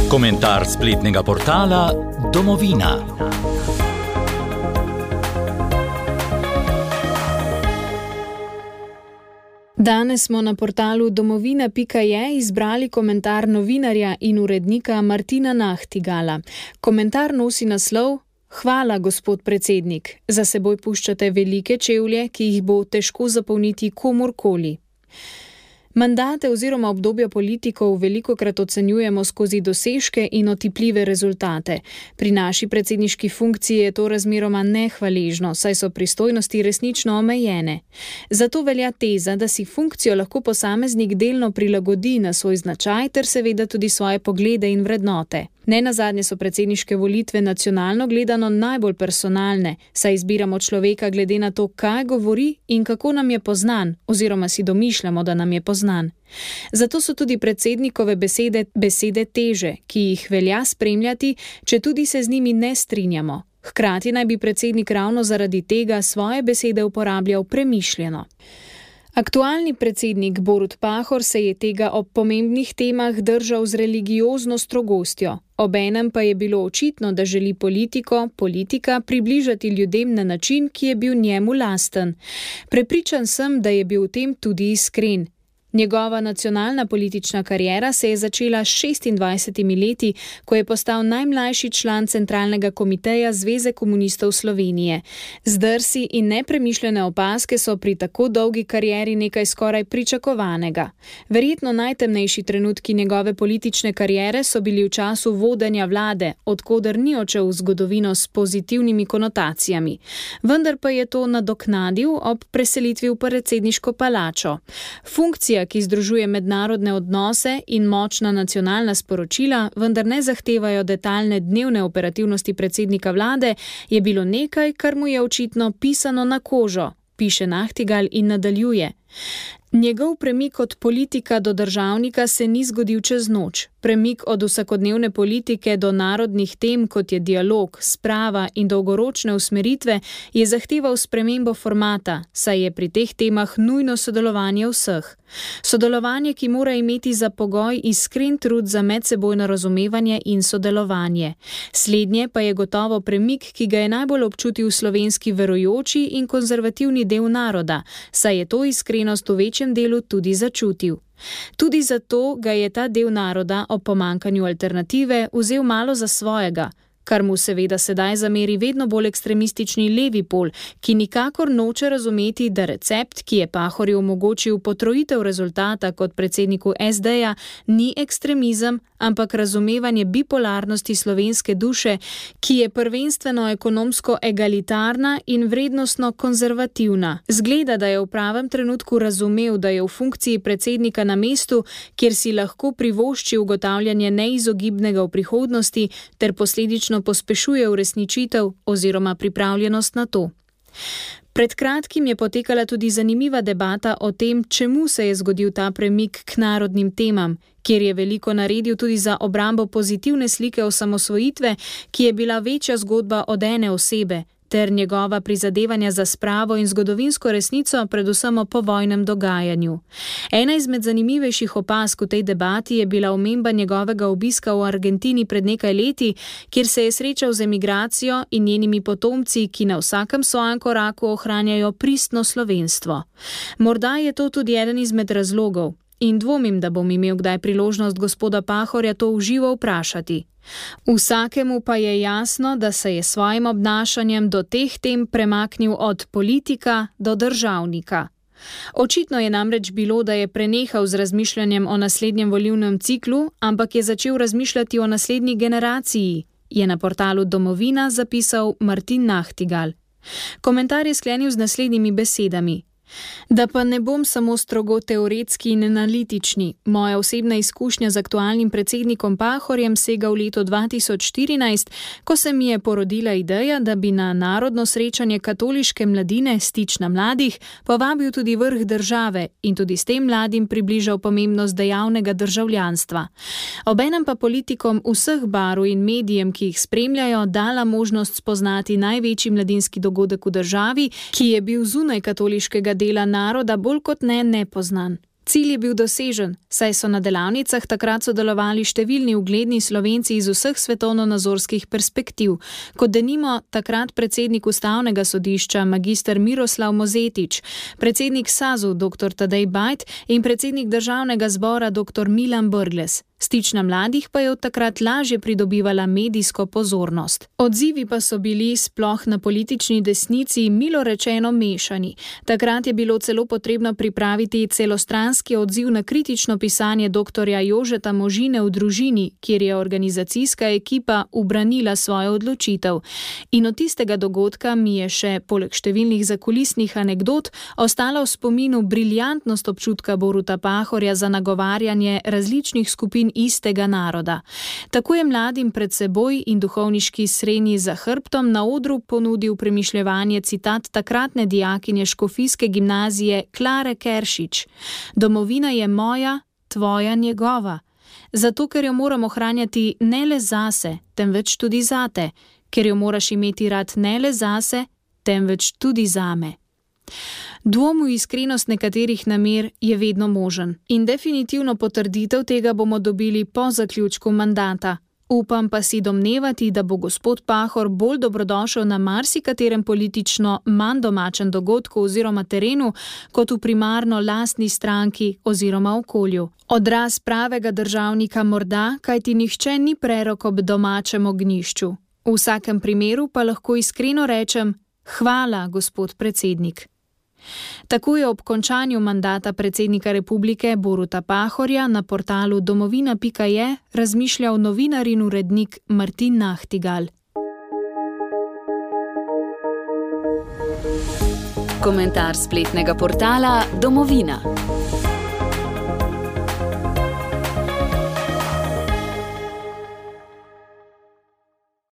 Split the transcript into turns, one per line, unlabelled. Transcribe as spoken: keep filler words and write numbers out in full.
Komentar spletnega portala Domovina.
Danes smo na portalu domovina pika je izbrali komentar novinarja in urednika Martina Nahtigala. Komentar nosi naslov: Hvala, gospod predsednik. Za seboj puščate velike čevlje, ki jih bo težko zapolniti komurkoli. Mandate oziroma obdobja politikov velikokrat ocenjujemo skozi dosežke in otipljive rezultate. Pri naši predsedniški funkciji je to razmeroma nehvaležno, saj so pristojnosti resnično omejene. Zato velja teza, da si funkcijo lahko posameznik delno prilagodi na svoj značaj ter seveda tudi svoje poglede in vrednote. Nenazadnje so predsedniške volitve nacionalno gledano najbolj personalne, saj izbiramo človeka glede na to, kaj govori in kako nam je poznan, oziroma si domišljamo, da nam je poznan. Zato so tudi predsednikove besede besede teže, ki jih velja spremljati, če tudi se z njimi ne strinjamo. Hkrati naj bi predsednik ravno zaradi tega svoje besede uporabljal premišljeno. Aktualni predsednik Borut Pahor se je tega ob pomembnih temah držal z religiozno strogostjo. Obenem pa je bilo očitno, da želi politiko, politika približati ljudem na način, ki je bil njemu lasten. Prepričan sem, da je bil v tem tudi iskren. Njegova nacionalna politična kariera se je začela s šestindvajsetimi leti, ko je postal najmlajši član centralnega komiteja Zveze komunistov Slovenije. Zdrsi in nepremišljene opazke so pri tako dolgi karieri nekaj skoraj pričakovanega. Verjetno najtemnejši trenutki njegove politične kariere so bili v času vodenja vlade, od koder ni odšel v zgodovino s pozitivnimi konotacijami. Vendar pa je to nadoknadil ob preselitvi v predsedniško palačo. Funkcija, ki združuje mednarodne odnose in močna nacionalna sporočila, vendar ne zahtevajo detaljne dnevne operativnosti predsednika vlade, je bilo nekaj, kar mu je očitno pisano na kožo, piše Nahtigal in nadaljuje. Njegov premik od politika do državnika se ni zgodil čez noč. Premik od vsakodnevne politike do narodnih tem, kot je dialog, sprava in dolgoročne usmeritve, je zahteval spremembo formata, saj je pri teh temah nujno sodelovanje vseh. Sodelovanje, ki mora imeti za pogoj iskren trud za medsebojno razumevanje in sodelovanje. Slednje pa je gotovo premik, ki ga je najbolj občutil slovenski verujoči in konzervativni del naroda, saj je to iskrenost v večjem delu tudi začutil. Tudi zato ga je ta del naroda ob pomankanju alternative vzel malo za svojega, kar mu seveda sedaj zameri vedno bolj ekstremistični levi pol, ki nikakor noče razumeti, da recept, ki je Pahorju omogočil potrojitev rezultata kot predsedniku es de-ja, ni ekstremizem, ampak razumevanje bipolarnosti slovenske duše, ki je prvenstveno ekonomsko egalitarna in vrednostno konzervativna. Zgleda, da je v pravem trenutku razumel, da je v funkciji predsednika na mestu, kjer si lahko privošči ugotavljanje neizogibnega v prihodnosti ter posledično pospešuje uresničitev oziroma pripravljenost na to. Pred kratkim je potekala tudi zanimiva debata o tem, čemu se je zgodil ta premik k narodnim temam, kjer je veliko naredil tudi za obrambo pozitivne slike osamosvojitve, ki je bila večja zgodba od ene osebe, ter njegova prizadevanja za spravo in zgodovinsko resnico, predvsem o povojnem dogajanju. Ena izmed zanimivejših opazk v tej debati je bila omemba njegovega obiska v Argentini pred nekaj leti, kjer se je srečal z emigracijo in njenimi potomci, ki na vsakem svojem koraku ohranjajo pristno slovenstvo. Morda je to tudi eden izmed razlogov in dvomim, da bom imel kdaj priložnost gospoda Pahorja to v živo vprašati. Vsakemu pa je jasno, da se je svojim obnašanjem do teh tem premaknil od politika do državnika. Očitno je namreč bilo, da je prenehal z razmišljanjem o naslednjem volilnem ciklu, ampak je začel razmišljati o naslednji generaciji, je na portalu Domovina zapisal Martin Nahtigal. Komentar je sklenil z naslednjimi besedami. Da pa ne bom samo strogo teoretski in analitični. Moja osebna izkušnja z aktualnim predsednikom Pahorjem sega v leto dva tisoč štirinajst, ko se mi je porodila ideja, da bi na narodno srečanje katoliške mladine Stična mladih povabil tudi vrh države in tudi s tem mladim približal pomembnost dejavnega državljanstva. Obenem pa politikom vseh barv in medijem, ki jih spremljajo, dala možnost spoznati največji mladinski dogodek v državi, ki je bil zunaj katoliškega dela naroda bolj kot ne nepoznan. Cilj je bil dosežen, saj so na delavnicah takrat sodelovali številni ugledni Slovenci iz vseh svetovnonazorskih perspektiv, kot denimo takrat predsednik Ustavnega sodišča magister Miroslav Mozetič, predsednik SAZU doktor Tadej Bajd in predsednik Državnega zbora doktor Milan Brglez. Stična mladih pa je od takrat lažje pridobivala medijsko pozornost. Odzivi pa so bili sploh na politični desnici milo rečeno mešani. Takrat je bilo celo potrebno pripraviti celostranski odziv na kritično pisanje doktorja Jožeta Možine v Družini, kjer je organizacijska ekipa ubranila svojo odločitev. In od tistega dogodka mi je še, poleg številnih zakulisnih anekdot, ostala v spominu briljantnost občutka Boruta Pahorja za nagovarjanje različnih skupin istega naroda. Tako je mladim pred seboj in duhovniški srenji za hrbtom na odru ponudil premišljevanje citat takratne dijakinje škofijske gimnazije Klare Keršič. Domovina je moja, tvoja, njegova. Zato, ker jo moram ohranjati ne le zase, temveč tudi zate. Ker jo moraš imeti rad ne le zase, temveč tudi zame. Dvom v iskrenost nekaterih namer je vedno možen in definitivno potrditev tega bomo dobili po zaključku mandata. Upam pa si domnevati, da bo gospod Pahor bolj dobrodošel na marsikaterem politično manj domačem dogodku oziroma terenu, kot v primarno lastni stranki oziroma okolju. Odraz pravega državnika morda, kajti nihče ni prerok ob domačem ognjišču. V vsakem primeru pa lahko iskreno rečem: hvala, gospod predsednik. Tako je ob končanju mandata predsednika republike Boruta Pahorja na portalu domovina pika je razmišljal novinar in urednik Martin Nahtigal.
Komentar spletnega portala Domovina.